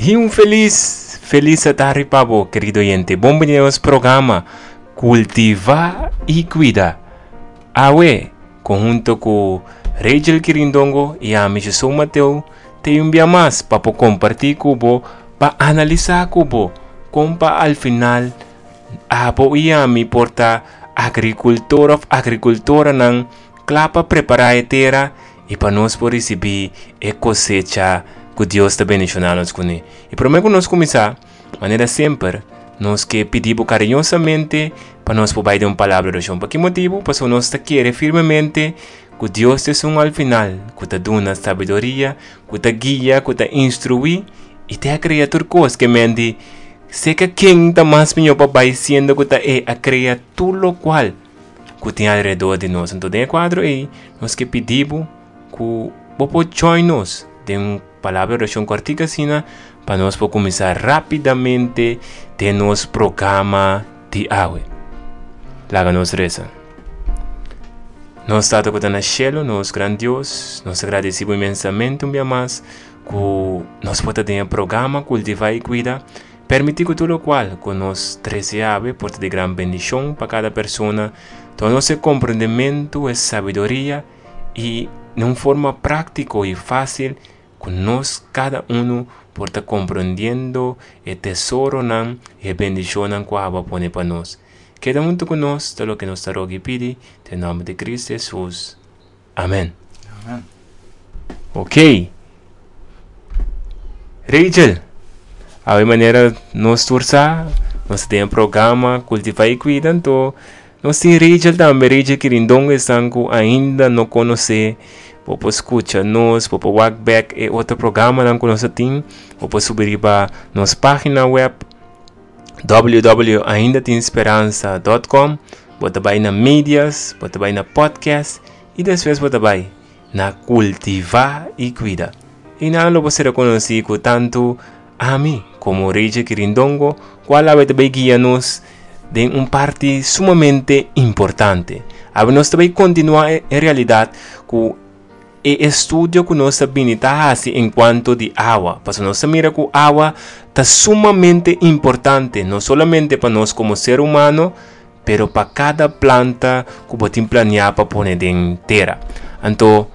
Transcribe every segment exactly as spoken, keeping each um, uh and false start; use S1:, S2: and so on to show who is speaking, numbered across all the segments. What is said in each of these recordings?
S1: I un felis, felis atardi pa bo, kerido oyente. Bon bini na nos programa Kultivá i Kuida. Awe, konhunto ku Rachel Kirindongo i ami, Jason Mateo, tin un dia mas pa kompartí ku bo, pa analisá ku bo, kon pa al final abo i ami por ta agrikultor òf agrikultoranan kla pa prepará e tera i pa nos por risibí e kosecha ku Dios ta bendishoná nos kuné. I promé ku nos kuminsá, manera semper, nos ke pidi kariñosamente pa nos por bai den un palabra di orashon. Pa ki motibu? Pasobra nos ta kere firmemente ku Dios ta esun al final, ku ta duna sabiduria, ku ta guia, ku ta instruí i ta krea tur kos ke men di serka ken ta mas mihó pa bai, siendo ku ta e a krea tur lokual ku tin alrededor di nos. Anto, den e kuadro ei, nos ke pidi ku bo por join nos den un palabra di orashon kòrtiku asina, pa nos por kuminsá rápidamente den nos programa di awe. Laga nos resa. Nos Tata ku ta na shelu, nos gran Dios, nos ta gradisí inmensamente un bia mas ku nos por tin e programa Kultivá i Kuida. Permití ku tur lokual ku nos trese awe por ta di gran bendishon pa kada persona, duna nos komprondementu i sabiduria i di un forma práktiko i fásil ku nos kada un por ta komprondiendo e tesoronan i bendishonnan ku Bo a pone pa nos. Keda huntu ku nos, ta loke nos ta roga i pidi, den nòmber di Kristu Hesus. Amèn.
S2: Amèn.
S1: Ok. Rachel, awe manera nos tur sa, nos tin un programa Kultivá i Kuida, anto nos tin Rachel tambe, Rachel Kirindongo, esnan ku ainda no konosé, bo por skucha nos, bo por wak back e otro programanan ku nos tin, bo por subi pa nos página web w w w punto aindatinSperansa punto com, bo ta bai na medias, bo ta bai na podcast i despues bo ta bai na Kultivá i Kuida. I nan lo ser konosí ku tantu ami komo Rachel Kirindongo, kual ta bai guia nos den un parti sumamente importante. Awe nos ta bai kontinuá en realidat ku e estudio ku nos a bini ta hasi en kuanto di awa. Pasobra nos mira ku awa ta sumamente importante, no solamente pa nos komo ser humano, pero pa kada planta ku bo tin planeá pa pone den tera. Anto,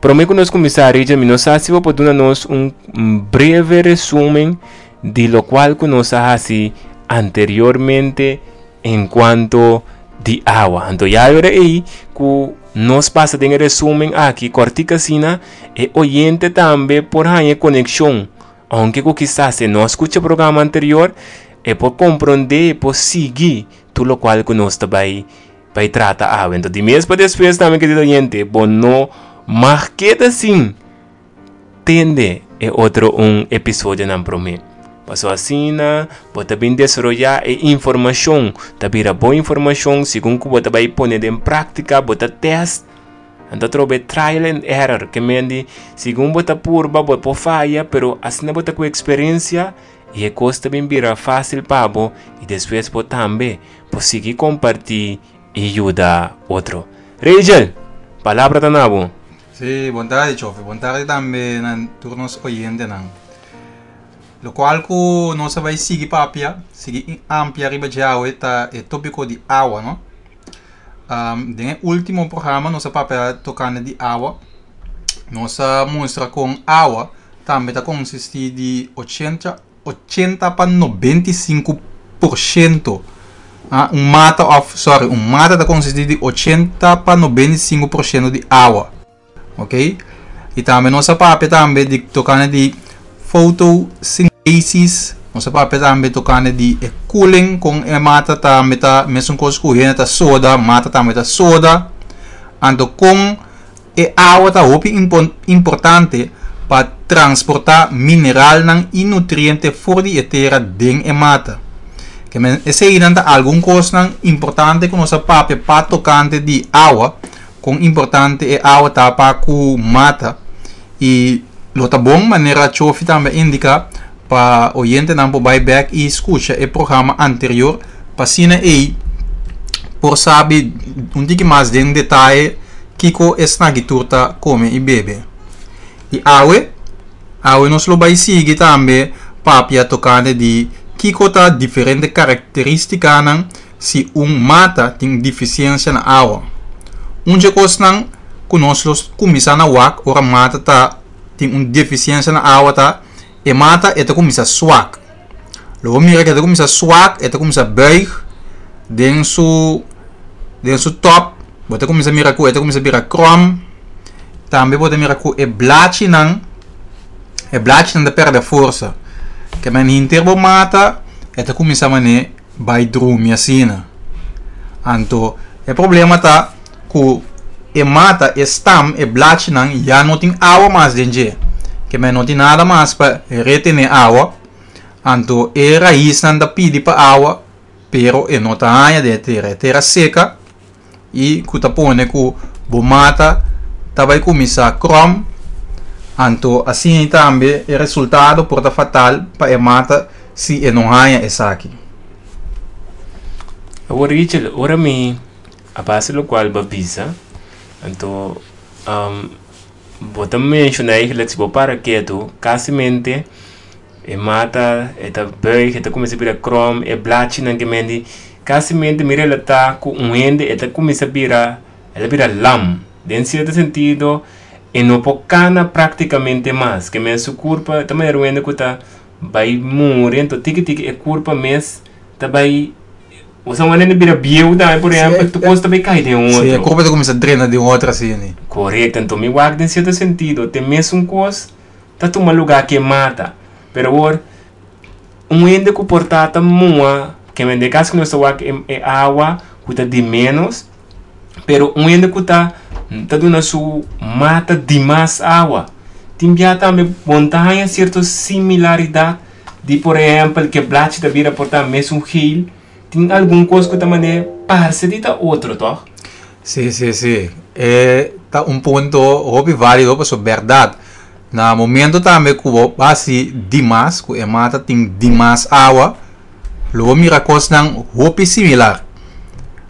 S1: promé ku nos kuminsá, Richard, mi no sa si bo por duna nos un, un breve resumen di lokual ku nos a hasi anteriormente en kuanto di awa. Anto, ya awor ei ku nos pasa den resumen aki, kòrtiku asina, e oyente tambe por haña konekshon. Aunke ku kisas no a skucha e programa anterior, e por komprondé, por sigui tur lokual ku nos ta bai bai trata awe. Anto, di mes pa despues tambe, kerido oyente, bo no mag keda sin tende e otro un episodionan promé. Paso asina, bo ta bin desaroyá e informashon, ta bira bon informashon, segun ku bo ta bai pone den práktika, bo ta test. Anto trobe trial and error, ke men di, segun bo ta purba, bo por faya, pero asina bo ta ku eksperensia i e kos ta bin bira fásil pa bo i despues bo tambe por sigui kompartí i yuda otro. Rachel, palabra ta na bo.
S2: Sí, bon tardi, Chofe. Bon tardi tambe na tur nos oyentenan. Lokual ku nos ta bai sigui papia, sigui amplia riba dje awe ta e tópiko di awa, no? Um, den último programa nos a papia tokante di awa. Nos a mustra ku awa tambe ta konsistí di ochenta, ochenta pa nobenta i sinku porshento. Ah, un mata of, sorry, un mata ta konsistí di ochenta pa nobenta i sinku porshento di awa. Ok? I tambe nos a papia tambe di tokante di photosynthesis. Nos a papia tambe tokante di e cooling ku e mata tambe ta mesun kos ku ta soda, mata tambe ta soda. Anto kon e awa ta hopi importante pa transportá mineralnan i nutriente for di e tera den e mata. Ke men esei ta algun kos importante ku nos a papia pa tokante di awa, kon importante e awa ta pa ku mata i lo ta bon, manera Chofi tambe a indiká, pa oyentenan por bai back i skucha e programa anterior pa asina e por sabi un tiki mas den detaye kiko esaki tur ta kome i bebe. I awe Awe nos lo bai sigui tambe papia tokante di kiko ta diferente karakterístikanan si un mata tin defisiensia na awa. Un di kosnan ku nos lo kuminsá na wak ora mata ta tin un defisiensia na awa ta e mata e ta kuminsá swak. Lo bo mira ku e ta kuminsá swak, e ta kuminsá buig den su den su top, bo ta kuminsá mira ku e ta kuminsá bira krom. Tambe bo ta mira ku e blachinan e blachinan ta pèrdè forsa. Ke men henter bo mata e ta kuminsá manera bai drumi asina. Anto e problema ta ku e mata e stam e blachinan ya no tin awa mas den dje. Ke men no tin nada mas pa retené awa. Anto e raisnan ta pidi pa awa, pero e no ta haña den e tera. E tera seka i ku ta pone ku bo mata ta bai kuminsá krom. Anto asina tambe e resultado por ta fatal pa e mata si e no haña esaki.
S1: Awor Richel, ora mi a base lokual bo a bisa, anto um, bo ta menshoná eigenlijk si bo para ketu, kasimente e mata e ta buig, e ta kuminsá bira krom, e blachinan ke mendi, kasimente mi relatá ku un hende e ta kuminsá bira, el a bira lam. Den sierto sentido, e no por kana práktikamente mas, ke men su kurpa ta manera un hende ku ta bai muri, anto tiki tiki e kurpa mes ta bai, osea un hende bira bieu tambe, por ehèmpel, tur kos ta bai kai den un
S2: Sí, e
S1: otro.
S2: kurpa ta kuminsá drena den otro asina.
S1: Korekto, anto mi wak den sierto sentido, te mesun kos ta tuma lugá ku e mata. Pero awor, un hende ku por ta ta muha, ke men den kaso ku nos ta wak e e awa ku ta di ménos, pero un hende ku ta ta duna su mata dimas awa, tin bia tambe bon ta haña sierto similaridat di por ehèmpel ke blachi ta bira por ta mesun geel, tin algun kos ku ta manera parse di ta otro, tòg?
S2: Sí, sí, sí. E ta un punto hopi válido pasobra bèrdat. Na momento tambe ku bo hasi dimas, ku e mata tin dimas awa, lo bo mira kosnan hopi similar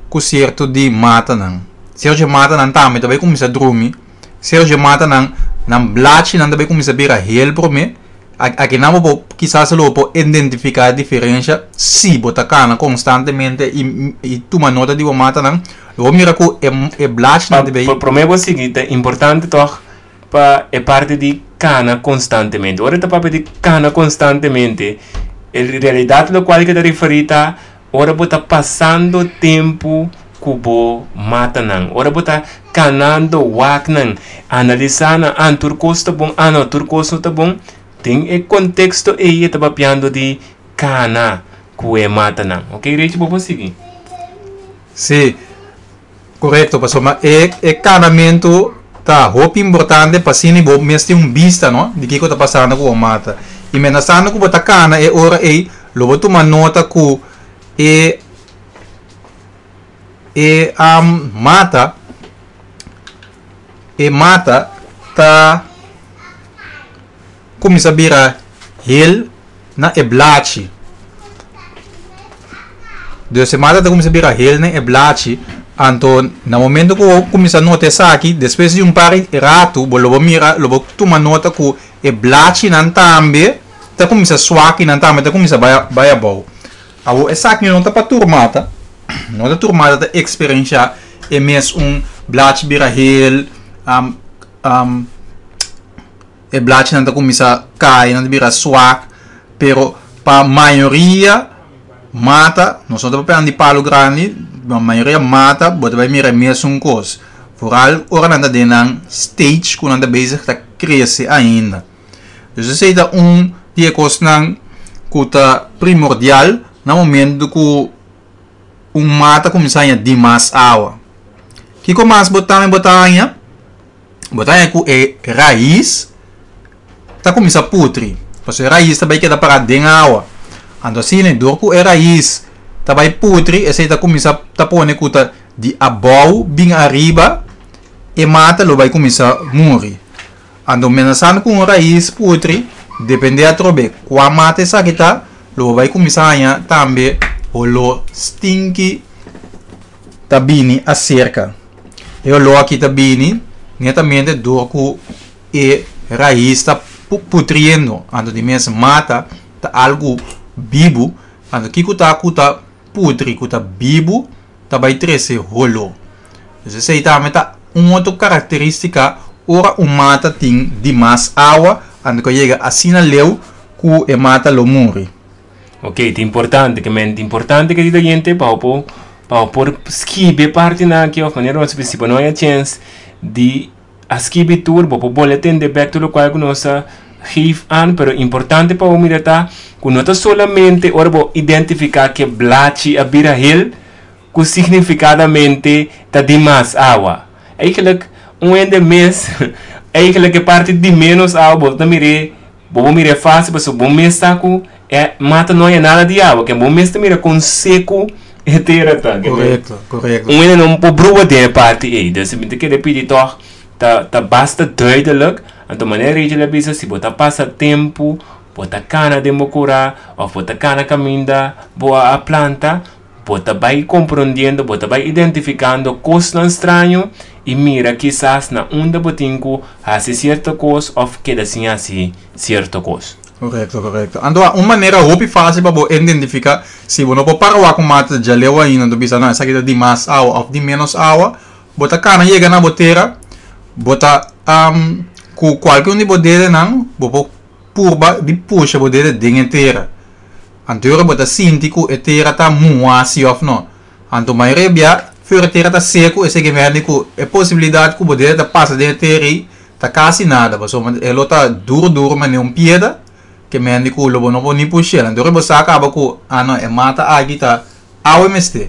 S2: ku sierto di matanan. Sierto matanan tambe ta bai kuminsá drumi, sierto matanan nan blachinan ta bai kuminsá bira hel promé. Akinan bo por kisas lo bo por identifiká e diferensha si bo ta kana konstantemente i i tuma nota di bo matanan, lo bo mira ku e e blachinan ta bai.
S1: Pa promé bo sigui ta importante tòg pa e parti di kana konstantemente. Ora e ta papia di kana konstantemente, en realidat lokual ke ta referí ta ora bo ta pasando tempu ku bo matanan. Ora bo ta kanando wak nan, analisá nan, ah tur kos ta bon, ah no tur kos no ta bon. Den e konteksto ei e ta papiando di kana ku e matanan. Ok Richie, bo por sigui.
S2: Sí, korekto, pasobra e e kanamentu ta hopi importante pa asina bo mes tin un bista no di kiko ta pasando ku bo mata. I menasando ku bo ta kana e ora ei lo bo tuma nota ku e e mata e mata ta kuminsá bira hel na e blachi. Dus e mata ta kuminsá bira hel na e blachi, anto na momento ku bo kuminsá nota esaki, despues di un par di ratu bo lo bo mira, lo bo tuma nota ku e blachinan tambe ta kuminsá swak i nan tambe ta kuminsá bai bai abou. Awor esaki no ta pa tur mata, no ta tur mata ta eksperenshá e mes un blachi bira hel, e blachinan ta kuminsá kai, nan ta bira swak, pero pa mayoria mata, nos no ta papia di palu grandi, pa mayoria mata bo ta bai mira e mesun kos, vooral ora nan ta den nan stage ku nan ta bezig ta krese ainda. Dus esei ta un di e kosnan ku ta primordial na momento ku un mata kuminsá haña dimas awa. Kiko mas bo tambe bo ta haña? Bo ta haña ku e rais ta kuminsá putri, pasobra e rais ta bai keda pará den awa. Anto asina dor ku e rais ta bai putri, esei ta kuminsá ta pone ku ta di abou bin ariba e mata lo bai kuminsá muri. Anto menasando ku un rais putri, dependé atrobe kua mata esaki ta, lo bo bai kuminsá haña tambe holó stinki ta bini aserka. E holó aki ta bini netamente dor ku e rais ta Putriendo. Anto di mes mata ta algo bibu. Anto kiko ta ku ta putri, ku ta bibu, ta bai trese holo. Dus esei tambe ta un otro karakterístika ora un mata tin dimas awa, anto ku yega asina leu ku e mata lo muri.
S1: Ok, ta importante, ke men importante ku e hende pa por pa por skibi parti nan aki òf manera nos si no hay chance di a skibi tur, bo por bolbe tende back tur lokual ku nos a geef aan, pero importante pa mira ta ku no ta solamente ora bo identifiká ku blachi a bira hel ku significadamente ta dimas awa. Eigenlijk un hende mes eigenlijk e parti di menos awa bo ta mira, bo mira fásil, pasobra bo mes ta ku e mata no e nada di awa, ku bo mes ta mira kon seku e tera ta.
S2: Korekto, korekto.
S1: Un hende no por brua den e parti ei. Dus mi ta kere pidi toch ta ta basta duidelijk. Anto manera Rachel a bisa, si bo ta pasa tempu, bo ta kana den bo kurá òf bo ta kana kaminda bo a planta, bo ta bai komprondiendo, bo ta bai identifikando kosnan straño i mira kisas na unda bo tin ku hasi sierto kos òf keda sin hasi sierto kos.
S2: Korekto, korekto. Anto, un manera hopi fásil pa bo identifiká, si bo no por para ku mata djaleu ainda, bo bisa, no, esaki ta dimas awa òf di menos awa, bo ta kana yega na bo tera, bo ta um, ku kualke un di bo dedenan, bo por purba di pusha bo dede den tera. Anto bo ta sinti ku e tera ta muhá si òf no. Anto mayoria bia, ora tera ta seku, esei ke men ku e posibilidat ku bo dede ta pasa den tera ta kasi nada, pasobra e ta duru duru, manera un piedra, ke men ku lo bo no por ni pusha. Anto bo sa kaba ku ah no, e mata aki ta awa mester.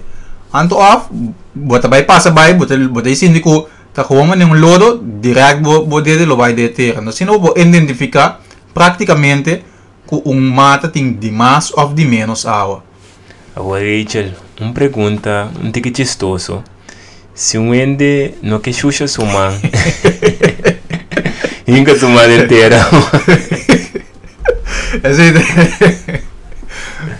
S2: Anto òf bo ta bai pasa bai, bo ta bo ta sinti ku ta gewoon manera un lodo, direct bo bo dede lo bai den tera. No, asina bo identifiká praktikamente ku un mata tin di mas òf di menos awa.
S1: Awor Rachel, un pregunta un tiki chistoso. Si un hende no ke shusha su man, hinka su man den tera.
S2: Esei.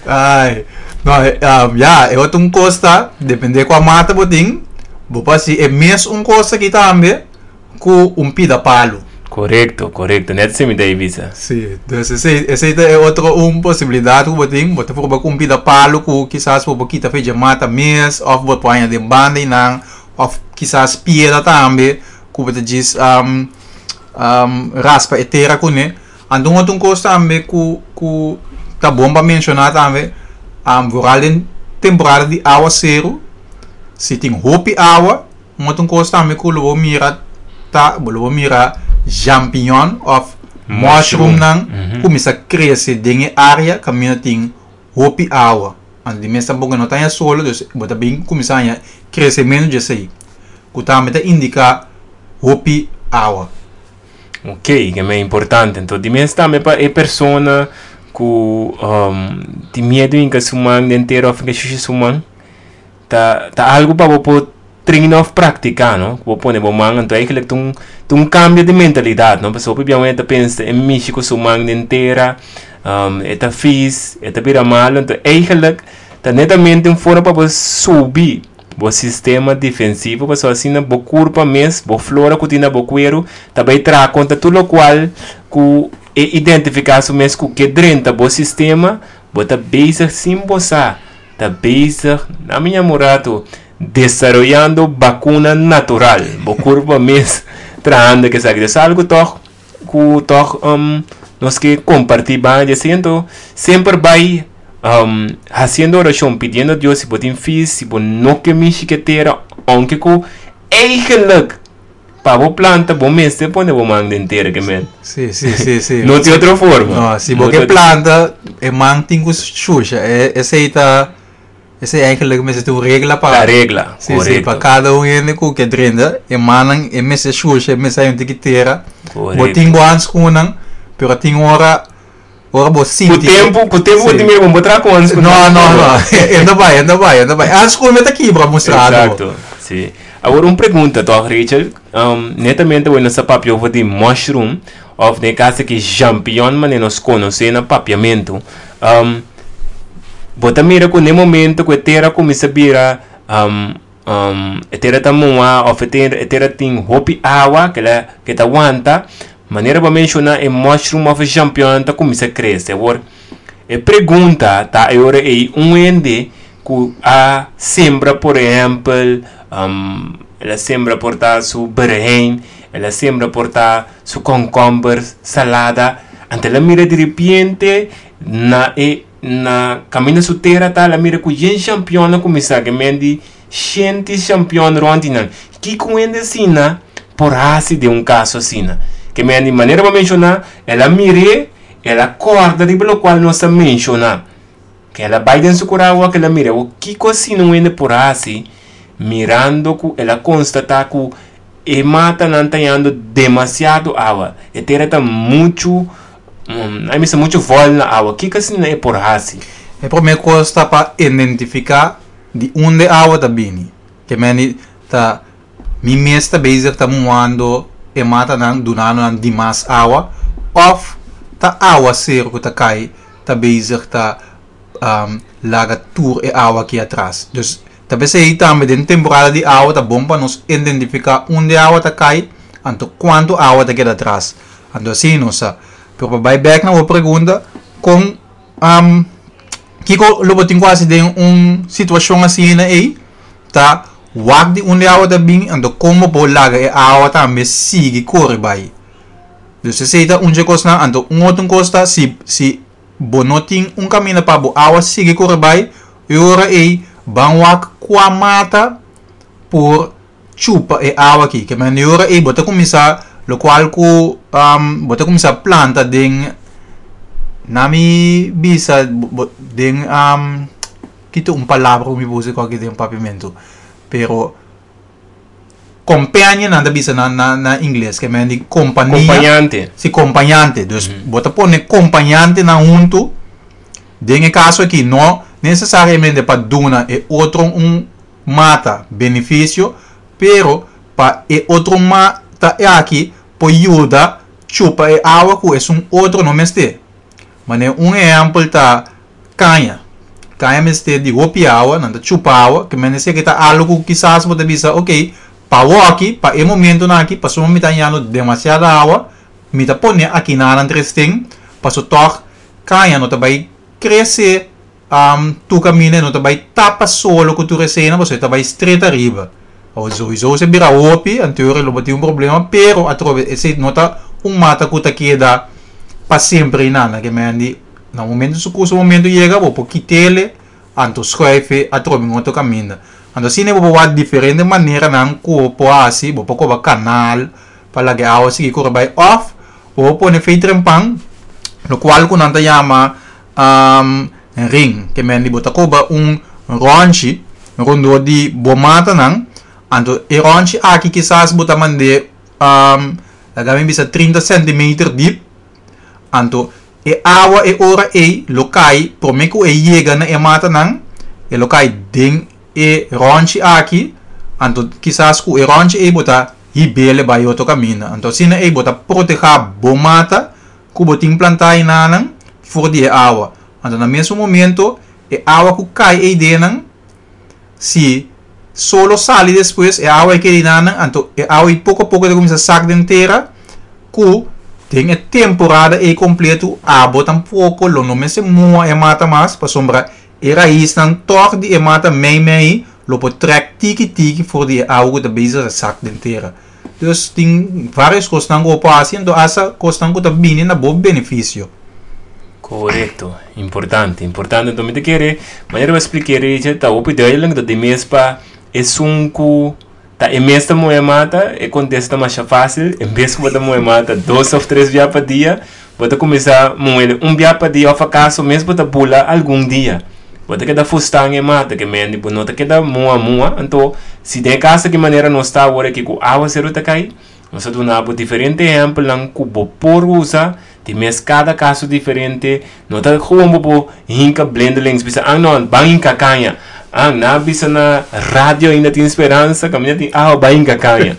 S2: Ai. No, um, ja, e otro un kos ta, dependé kua mata bo tin, bo por hasi e mes un kos aki tambe ku un pida palu.
S1: Korekto, korekto. Net esei mi ta bisa.
S2: Si, dus esei, esei ta otro un posibilidat ku bo tin, bo ta proba ku un pida palu ku kisas bo kita for di mata mes, òf bo pone den banda nan, òf kisas piedra tambe, ku bo ta djis um, um, raspa e tera kuné. Anto un otro kos tambe ku ku ta bon pa menshoná tambe, um, vooral den temporada di awaseru, si tin hopi awa, un otro kos tambe ku lo mira ta, lo mira champignon òf mushroom nan
S1: Mhm.
S2: kuminsá krese den e área kaminda tin hopi awa. Anto di mes tampoko no ta solo, dus bo ta bin kuminsá kresementu di esei. Ku tambe ta indiká hopi awa.
S1: Ok, ku ta importante. Anto, di mes tambe pa e persona ku um, tin miedu hinka su man den tera òf hinka shusha su man, ta ta algu pa bo train òf praktiká, no? Bo pone bo man, anto eigenlijk ta un ta un kambio di mentalidat, no? Pasobra hopi ta pensa e mishi ku su man den tera, um, e ta vies, e ta bira malu, anto eigenlijk ta netamente un forma pa bo subi bo sistema defensivo, pasobra asina bo kurpa mes, bo flora ku tin na bo kueru, tambe traha kontra tur lokual ku e identifiká su mes ku ke drenta bo sistema, bo ta bezig sin bo sa, ta bezig, na mi murato, desaroyando vakuna natural, bo kurpa mes trahando ku esaki. Dus algu toch ku toch um, nos ke kompartí ban disiendo semper bai um, hasiendo orashon, pidiendo Dios si bo tin vies, si bo no ke mishi ku tera, aunke ku eigenlijk pa bo planta bo mester pone bo man den tera ke men.
S2: Si, si, si, si.
S1: No tin otro forma.
S2: No, si bo
S1: No
S2: ke
S1: tin-
S2: planta, e man tin ku shusha. E, esei ta, esei eigenlijk mester un regla pa
S1: La regla,
S2: Si, si,
S1: korekto.
S2: pa kada un hende ku ke drenta, e man e mester shusha, e mester un tiki tera.
S1: Korekto.
S2: Bo tin bo handschoenen, pero tin ora ora bo
S1: Ku
S2: sinti.
S1: tempu, ku tempu
S2: Si.
S1: bo tin ku bo traha ku handschoenen.
S2: No, no, no. Ainda bai, ainda bai, ainda bai. Handschoen ta kibra mostrado.
S1: Eksakto, si. Awor un pregunta, toch, Rachel? Um, netamente bueno, sa papia over di mushroom, òf den kaso ku champignon, manera nos konosé na papiamentu. Um, bo ta mira ku na momento ku e tera kuminsá bira um, um, e tera ta muhá, òf e tera, e tera tin hopi awa, ku e ku ta wanta, Manera bo a menshoná, e mushroom òf e champignon ta kuminsá krese. Awor, e pregunta ta e ora ei: un hende ku a sembra, por ehèmpel, um, el a sembra por ta su berehein, el a sembra por ta su komkomber, salada, anto el a mira di repente na e na kaminda su tera ta, el a mira ku yen champignon a kuminsá, ke men di shenti champignon rònt nan. Kiko un hende asina por hasi den un kaso asina? Ke men di, manera bo a menshoná, el a mir'é, el a kòrda riba lokual nos a menshoná. Ke el a bai den su kurá awor ku el a mira. Awor, kiko asina un hende por hasi mirando ku el a konstatá ku e matanan ta hañando demasiado awa? E tera ta muchu, ai mester muchu vòl na awa. Kiko asina e por hasi?
S2: E promé kos ta pa identifiká di unda e awa ta bini. Ke meni ta mi mes ta bezig ta muhando e matanan, dunando nan dimas awa, òf ta awaseru ku ta kai ta bezig ta laga tur e awa aki atras. Dus ta p'esei tambe den temporada di awa ta bon pa nos identifiká unda e awa ta kai anto kuantu awa ta keda atras. Anto asina nos sa. Pero pa bai bèk na bo pregunta kon kiko lo bo tin ku hasi den un situashon asina ei ta wak di unda e awa ta bin anto kon bo por laga e awa tambe sigui kore bai. Dus esei ta un dje kosnan. Anto un otro kos ta si si bo no tin un kaminda pa bo awa sigui kore bai, e ora ei ban wak kua mata por chupa e awa aki. Ke manera e ora ei bo ta kuminsá lokual ku bo ta kuminsá planta den na mi bisa den kito un palabra ku mi por usa aki den papiamentu pero companion nan ta bisa na na na ingles ke men di kompania.
S1: Kompañante.
S2: Si, kompañante. Dus bo ta pone kompañantenan huntu den e kaso aki no nesesariamente pa duna e otro un mata benefisio, pero pa e otro mata aki por yuda chupa e awa ku esun otro no mester. Manera un ehèmpel ta kaña. Kaña mester di hopi awa, nan ta chupa awa, ke men esaki ta algu ku kisas bo ta bisa, ok, pa awoki, pa e momentunan aki, pasobra mi ta hañando demasiado awa, mi ta pone aki nan tres ten, pasobra tòg kaña no ta bai krese tur kaminda, e no ta bai tapa solo ku tur esena, pasobra e ta bai stret ariba. Awor souiso si bira hopi, anterior lo bo tin un problema, pero atrobe esei no ta un mata ku ta keda pa semper einan. Ke men di na momento su ku su momento yega bo por kit'ele anto schuif atrobe un otro kaminda. Anto asina bo por wak diferente maneranan ku bo por hasi. Bo por koba kanal pa laga e awa sigui kore bai, òf bo por pone fei trempan lokual ku nan ta yama ring. Ke men di bo ta koba un rònchi rondó di bo matanan, anto e rònchi aki kisas bo ta mand'é, laga mi bisa, trinta centimeter dip. Anto e awa e ora ei lo kai promé ku e yega na e matanan, e lo kai den e rònchi aki. Anto kisas ku e rònchi ei bo ta hib'é bai otro kaminda. Anto asina ei bo ta protehá bo mata ku bo tin plantá einanan for di e awa. Anto na mesun momento e awa ku kai ei dennan, si solo sali despues, e awa ei keda einanan. Anto e awa ei poko a poko ta kuminsá sak den tera ku den e temporada ei kompleto abo tampoko lo no mester muha e mata mas, pasobra e raisnan tòg di e mata mei mei lo por trèk tiki tiki for di e awa ku ta bezig ta sak den tera. Dus tin varios kosnan ku bo por hasi, anto hasta kosnan ku ta bini na bo benefisio.
S1: Korekto, importante, importante. Anto mi ta kere, manera bo a splik'é, Richard, ta hopi duidelijk dat di mes pa esun ku ta e mes ta muhe mata, e kontesta ta masha fásil. En bes ku bo ta muhe mata dos òf tres bia pa dia, bo ta kuminsá muh'é un bia pa dia òf akaso mes bo ta bula algun dia. Bo ta keda fustan e mata, ke men di bo no ta keda muha muha. Anto, si den e kaso ki manera nos ta awor aki ku awaseru ta kai, nos a duna bo diferente ehèmpelnan ku bo por usa. Di mes kada kaso diferente, no ta gewoon bo por hinka blindelings bisa, "Ah no, ban hinka kaña. Ah, nan a bisa na radio ainda tin speransa, kaminda tin awa, ban hinka kaña."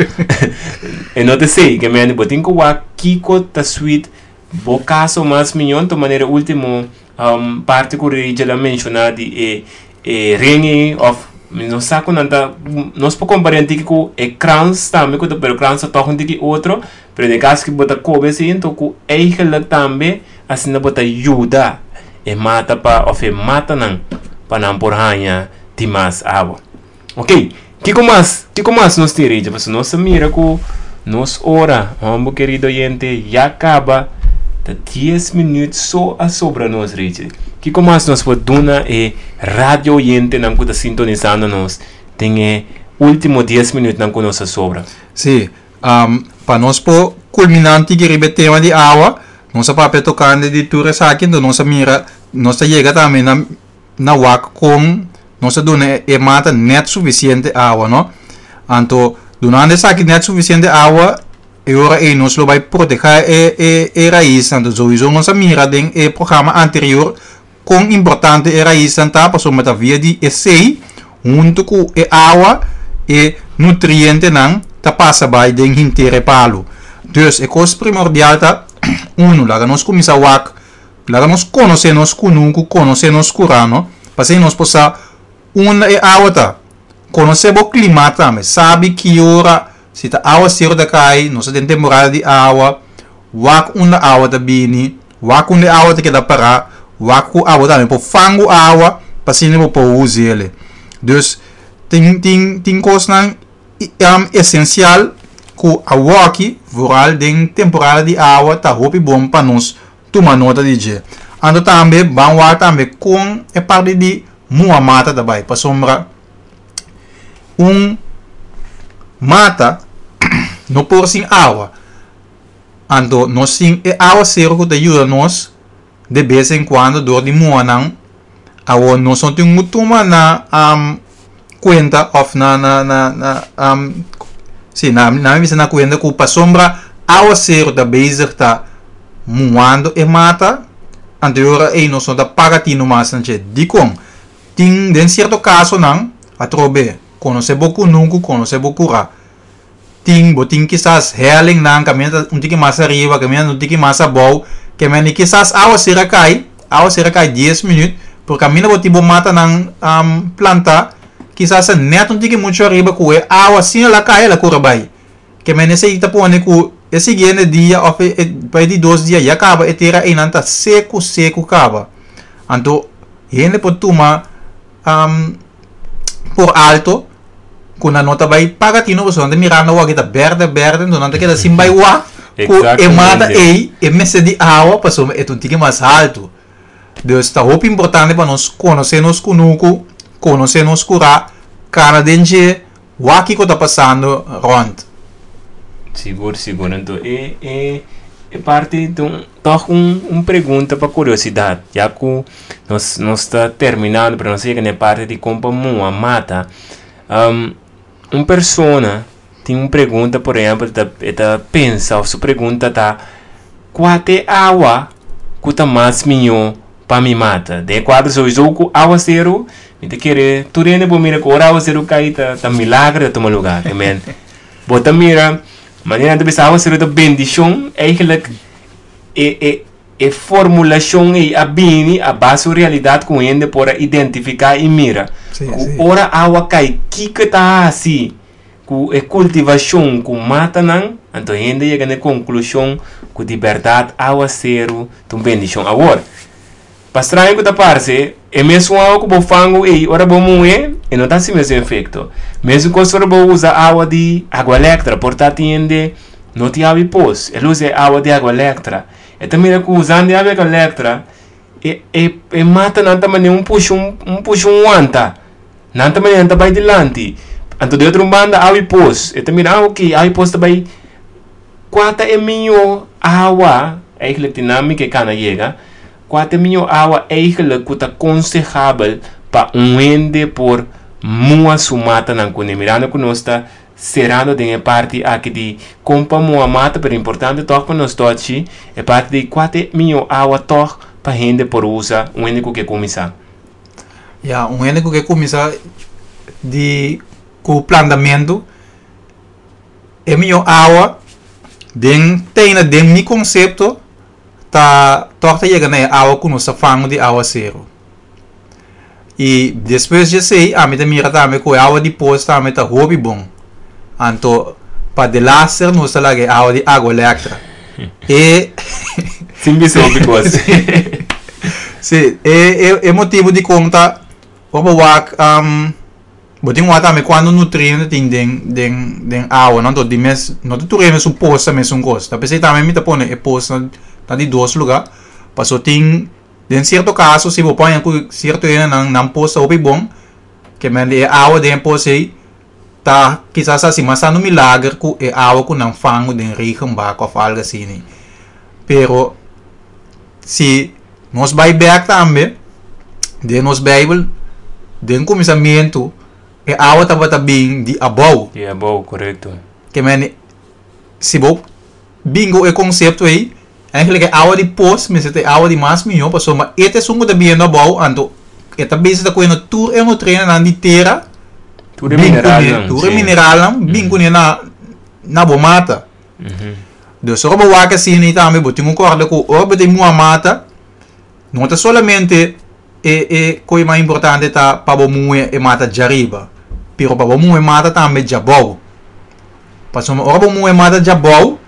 S1: E no ta esei, ke men bo tin ku wak kiko ta suit bo kaso mas mihó. Anto manera último um, parte ku Rachel a menshoná di e, e ring òf Nos sa ku nan ta, nos por kompará un tiki ku e krans tambe, ku pero krans ta toch un tiki otro, pero den kaso ku bo ta kobe asina, anto ku eigenlijk tambe asina bo ta yuda e mata pa òf e matanan pa nan por haña di mas awa. Ok, kiko mas? Kiko mas nos tin, Richard? Pasobra nos mira ku nos ora, hòmber, kerido oyente, ya kaba, ta dies minüt so a sobra nos, Richard. Kiko mas nos por duna e radio oyentenan ku ta sintonisando nos den e último dies minütnan ku nos a sobra?
S2: Si, um, pa nos por kulminá riba e tema di awa, nos a papia tokante di tur esaki, anto nos a mira, nos a yega tambe na na wak kon nos a duna e mata net sufisiente awa, no? Anto, dunando esaki net sufisiente awa, e ora ei nos lo bai protehá e, e, e rais. Anto, sowieso nos a mira den e programa anterior kon importante e rais ta, pasobra ta via di esei, huntu ku e awa e nutrientenan ta pasa bai den henter e palu. Dus e kos primordial ta uno, laga nos kuminsá wak, laga nos konosé nos kunuku, konosé nos kurá, no? Pa nos por sa unda e awa ta. Konosé bo klima tambe, sabi ki ora, si ta awaseru ta kai, nos tin temporada di awa, wak unda awa ta bini, wak unda awa ta keda pará, wak ku awa tambe por fangu awa, pa asina bo por us'é. Dus tin tin tin kosnan um, esensial ku awaki, vooral den temporada di awa, ta hopi bon pa nos tuma nota di dje. Anto tambe, ban wak tambe kon e parti di muha mata tambe, pasobra un mata no por sin awa. Anto nos tin e awaseru ku ta yuda nos de bes en cuando dor di muha nan. Awo nos no tin tuma na um, kuenta òf na na na na um, si na na bisa na kuenta ku pasobra awaseru ta bezig ta muhando e mata, anto ei nos no ta paga tinu mas na dje. Dikon? Tin den sierto kasonan, atrobe, konosé bo kunuku, konosé bo kurá. Tin bo tin kisas hellingnan kaminda un tiki mas ariba, kaminda un tiki mas abou, ke men kisas awaseru kai, awaseru kai dies minüt, por kaminda bo tin bo matanan um, plantá, kisas net un tiki muchu ariba ku e awa asina el a kai, el a kore bai. Ke men esei ta pone ku e siguiente dia òf e, e, pa di dos dia ya kaba e tera einan ta seku seku kaba. Anto hende por tuma um, por alto ku nan no ta bai paga tinu, pasobra nan ta mirando awor ta bèrdè bèrdè, anto nan ta keda sin bai wak ku e mata ei e mester di awa pasobra e ta un tiki mas altu. Dus ta hopi importante pa nos konosé nos kunuku, konosé nos kurá, kana den dje, wak kiko ta pasando rònt.
S1: Sigur, sigur. Anto, e, e, e parti di un, toch un, un pregunta pa kuriosidat, ya ku nos, nos ta terminando, pero nos a yega na parti di kon pa muha mata. Um, un persona tin un pregunta, por ehèmpel, ta, ta pensa, òf su pregunta ta: kua ta e awa ku ta mas mihó pa mi mata? Den kuadro sowieso ku awaseru, mi ta kere tur hende por mira ku ora awaseru kai ta, ta milager ta tuma lugá. Ke men, bo ta mira, manera nan ta bisa awaseru ta bendishon, eigenlijk e, e, e formulashon ei a bini a base di realidat ku hende por a identifiká i mira.
S2: Si,
S1: Ku
S2: si.
S1: ora awa kai, kiko ta hasi ku e kultivashon, ku matanan, anto hende yega na konklushon ku di bèrdat awaseru ta un bendishon. Awor, pa straño ku ta parse, e mesun awa ku bo fangu ei, ora bo muh'é, e no ta hasi mesun efekto. Mesun kos ora bo usa awa di Aqualectra, por ta tin hende no tin awa di pos, el usa e awa di Aqualectra. E ta mira ku usando awa di Aqualectra, e, e, e matanan ta manera un pusha un, un pusha un wanta. Nan ta manera nan ta bai dilanti. Anto di otro banda awa di pos, e ta mira, ah, ok, awa di pos ta bai. Kua ta e mihó awa, eigenlijk dinámika kana yega, kua ta e mihó awa eigenlijk ku ta konsehabel pa un hende por muha su matanan kuné? Mirando ku nos ta serando den e parti aki di kon pa muha mata, pero importante toch pa nos tochi e parti di kua ta e mihó awa toch pa hende por usa, un hende ku ke kuminsá.
S2: Ja, un hende ku ke kuminsá di ku plantamentu, e mihó awa den teina den mi konsepto ta toch ta yega na e awa ku nos ta fangu di awaseru. I despues di esei, ami ta mira tambe ku awa di pos tambe ta hopi bon. Anto, pa delaster nos ta laga awa di Aqualectra. E
S1: Sin bisa hopi kos.
S2: Si, e, e, e motibu di kon ta ora bo wak um, bo tin wak tambe kuantu nutriente tin den den den awa, no? Anto di mes no ta tur hende su pos ta mesun kos. Ta p'esei tambe mi ta pone e pos na na di dos lugá, paso tin den sierto kaso si bo paña ku sierto hendenan nan pos ta hopi bon, ke men di e awa den e pos ei ta kisas hasi mas tantu milager ku e awa ku nan fangu den regenbak òf algu asina. Pero si nos bai bèk tambe den nos Beibel, den kuminsamentu e awa tabata bin di abou.
S1: Di abou, korekto.
S2: Ke men si bo bin ku e konsepto ei, eigenlijk e awa di pos mester ta e awa di mas mihó, pasobra e ta esun ku ta biniendo abou, anto e ta bisa ta kohe tur e nutrientenan di tera,
S1: Tur e
S2: bin kuné,
S1: mineralnan,
S2: tur e
S1: sí.
S2: mineralnan bin kuné na na bo mata. Dus ora bo wak asina ei tambe bo tin ku kòrda ku ora bo ta muha mata, no ta solamente e e kos mas importante ta pa bo muhe e mata djariba, pero pa bo muhe mata tambe djabou. Pasobra ora bo muhe mata djabou,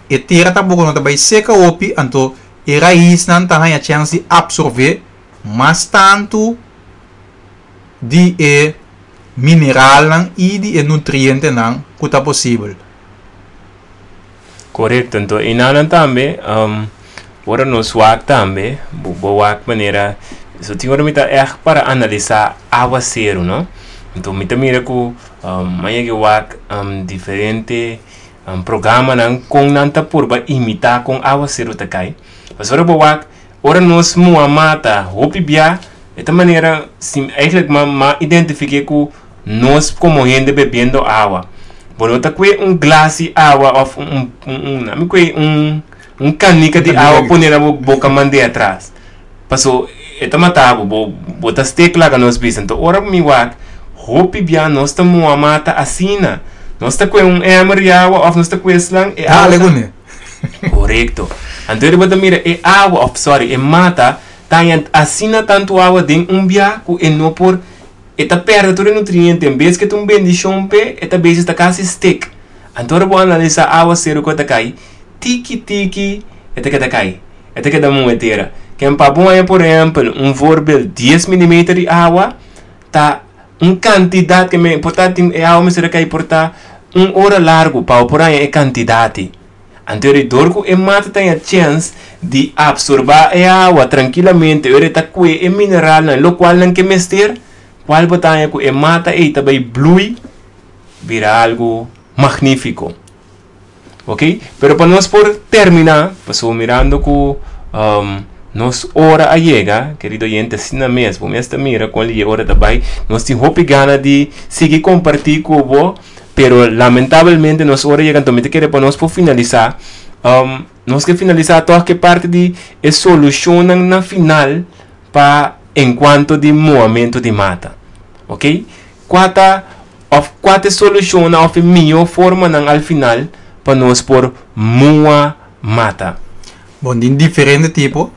S2: e tera tampoko no ta bai seka hopi, anto e raisnan ta haña chèns di apsorbé mas tantu di e mineralnan i di e nutrientenan ku ta posibel.
S1: Korekto, anto enanan tambe, um, ora nos wak tambe, bo, bo wak manera, so tin ora mi ta ègt para analisá awaseru, no? Anto mi ta mira ku um, maña ke wak um, diferente um, programanan kon nan ta purba imitá kon awaseru ta kai. Pasobra bo wak, ora nos muha mata hopi bia, e ta manera, si, eigenlijk ma, ma identifiké ku nos komo hende bebiendo awa. Bo no ta kue un glas di awa òf un, un, un, un, mi kue un, un kanika di awa pone na bo boka mand'é atras. Paso e ta mata bo, bo, bo ta stek laga nos bisa. Anto ora mi wak, hopi bia nos ta muha mata asina. Nos ta kue un emmer di awa òf nos ta kue slang e awa
S2: Dale
S1: ta
S2: kuné.
S1: Korekto. Anto ora bo ta mira e awa òf sorry e mata ta haña asina tantu awa den un bia ku e no por e ta pèrdè tur e nutriente. En bes ku e ta un bendishon p'e, e ta bezig ta kasi stek. Anto ora bo analisá awaseru ku e ta kai, tiki tiki e ta keda kai, e ta keda muhe tera. Ken pa bo haña por ehèmpel un voorbeeld dies milimeter di awa ta un kantidat ke me por ta tin e awa mester a kai por ta un ora largu pa bo por haña e kantidat ei. Anto ora dor ku e mata ta haña chèns di apsorbá e awa trankilamente, ora e ta kue e mineralnan lokual nan ke mester, kual bo ta haña ku e mata ei ta bai blui bira algu magnífiko. Ok, pero pa nos por terminá, pasobra mirando ku um, nos ora a yega, kerido oyente, asina mes, bo mes ta mira kon e ora ta bai, nos tin hopi gana di sigui kompartí ku bo, pero lamentablemente nos ora yega, anto mi ta kere pa nos por finalisá, um, nos ke finalisá tòg ke parti di e solushonnan na final pa en kuanto di muhamentu di mata. Ok, kua ta òf kua ta e solushonnan òf e mihó formanan al final pa nos por muha mata?
S2: Bon, tin diferente tipo.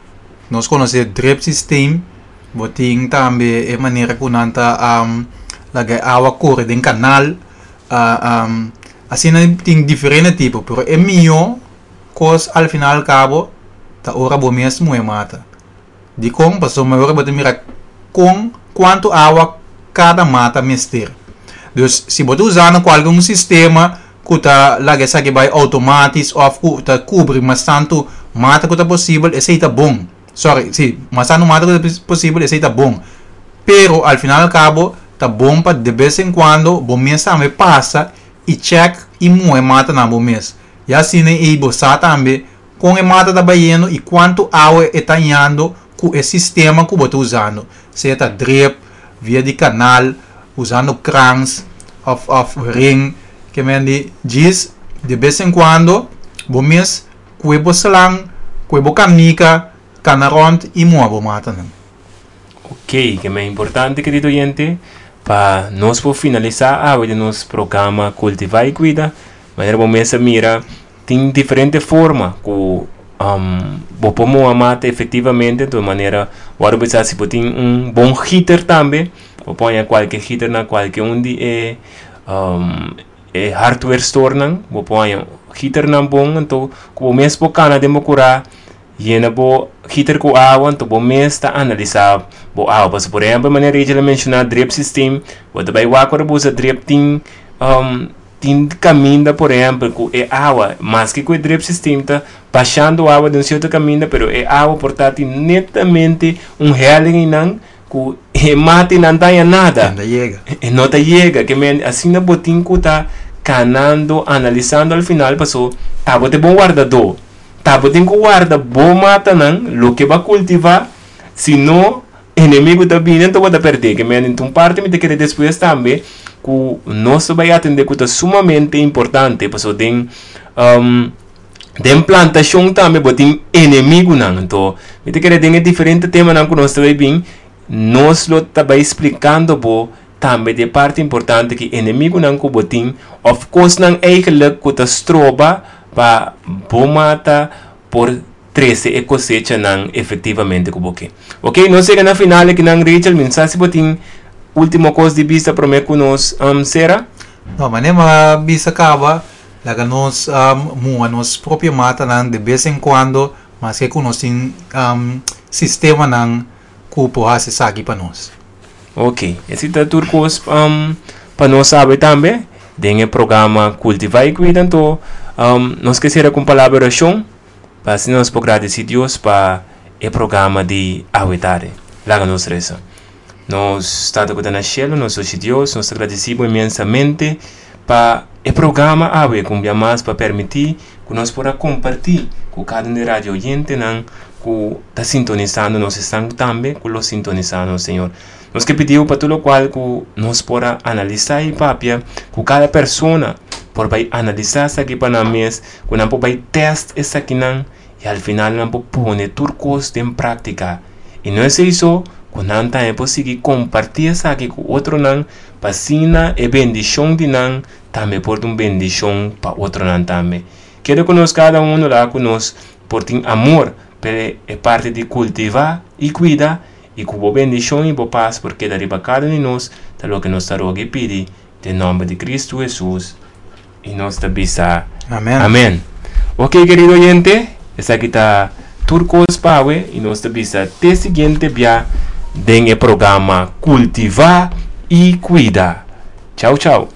S2: Nos konosé drip systeem. Bo tin tambe e manera ku nan ta um, laga e awa kore den kanal. Uh, um, asina tin diferente tipo, pero e mihó kos al final kabo ta ora bo mes muhe mata. Dikon? Pasobra ora bo ta mira kon kuantu awa kada mata mester. Dus si bo ta usando kualke un sistema ku ta laga esaki bai outomátis òf ku ta kubri mas tantu mata ku ta posibel, esei ta bon. Sorry, si, mas tantu mata ku ta posibel, esei ta bon. Pero al final al kabo ta bon pa de bes en kuando bo mes tambe pasa i chèk i muhe mata na bo mes. Ya asina ei bo sa tambe kon e mata ta bayendo i kuantu awa e ta hañando ku e sistema ku bo ta usando, sea ta drip, via di kanal, usando krans òf òf ring. Ke men di djis de bes en kuando bo mes kue bo slang, kue bo kanika, kana rònt i muha bo matanan.
S1: Ok, ke men importante, kerido oyente, pa nos por finalisá awe den nos programa Kultivá i Kuida, manera bo mes a mira tin diferente forma ku um, bo por muha mata efektivamente, di manera Ora bo si bo tin un bon heater tambe, bo por kualke heater na kualke un di e um, e hardware store nan, bo por heater nan bon, anto ku bo mes por kana den bo kurá, yena bo heater ku awa, anto bo mes ta analisá bo awa. Pasobra, por ehèmpel, manera Rachel a menshoná drip system, bo ta bai wak ora bo usa drip tin um, tin kaminda, por ehèmpel, ku e awa, maske ku e drip system ta bashando awa di un sierto kaminda, pero e awa por ta netamente un helling nan ku e mata no ta nada.
S2: No yega.
S1: E no ta yega, ke men asina bo tin ku ta kanando, analisando al final, paso ta bo ta bon wardadó. Ta bo tin ku warda bo mata nan, loke bo a kultivá, sino enemigu ta bini, anto bo ta pèrdè. Ke men un parti mi ta kere despues tambe ku nos bai atendé ku ta sumamente importante, paso den um, den plantashon tambe bo tin enemigu nan. Anto, mi ta kere den diferente temanan ku nos bai bin, nos lo ta bai splikando bo tambe di parti importante ku enemigu nan ku bo tin, of course nan eigenlijk ku ta stroba pa bo mata por trese e kosecha nan efektivamente ku bo ke. Ok, nos a yega na final aki nan, Rachel, mi n' sa si bo tin último kos di bisa promé ku nos um, sera?
S2: No, manera m'a bisa kaba, laga nos um, muha nos propio mata nan de bes en kuando, maske ku nos tin um, sistema nan ku por hasi esaki pa nos.
S1: Ok, esei ta tur kos um, pa nos sabi tambe, den e programa Kultivá i Kuida, anto, um, nos ke sera ku palabra di orashon, pa asina nos por gradisí Dios pa e programa di awe tardi. Laga nos resa. Nos Tata ku ta na shelu, nos Dios, nos ta gradisí inmensamente pa e programa awe, ku mas pa permití ku nos por kompartí ku kada un radio oyente nan ku ta sintonisando nos esnan tambe ku lo sintonisando, Señor. Nos ke pidi pa tur loke ku nos por analisá i papia ku kada persona por bai analisá esaki pa nan mes, ku nan por bai test esaki nan i al final nan por pone tur kos den práktika. I no ta esei, ku nan tambe por sigui kompartí esaki ku otro nan, pa asina e bendishon di nan tambe por un bendishon pa otro nan tambe. Kere ku nos kada un la ku nos por tin amor, pero e parti di kultivá i kuida i ku bo bendishon i bo pas por keda riba kada un di nos, ta loke nos ta roga i pidi, den nòmber di Kristu Hesus. I nos ta bisa.
S2: Amèn.
S1: Amèn. Ok, kerido oyente, esaki ta tur kos pa awe i nos ta bisa te siguiente bia den e programa Kultivá i Kuida. Chau, chau.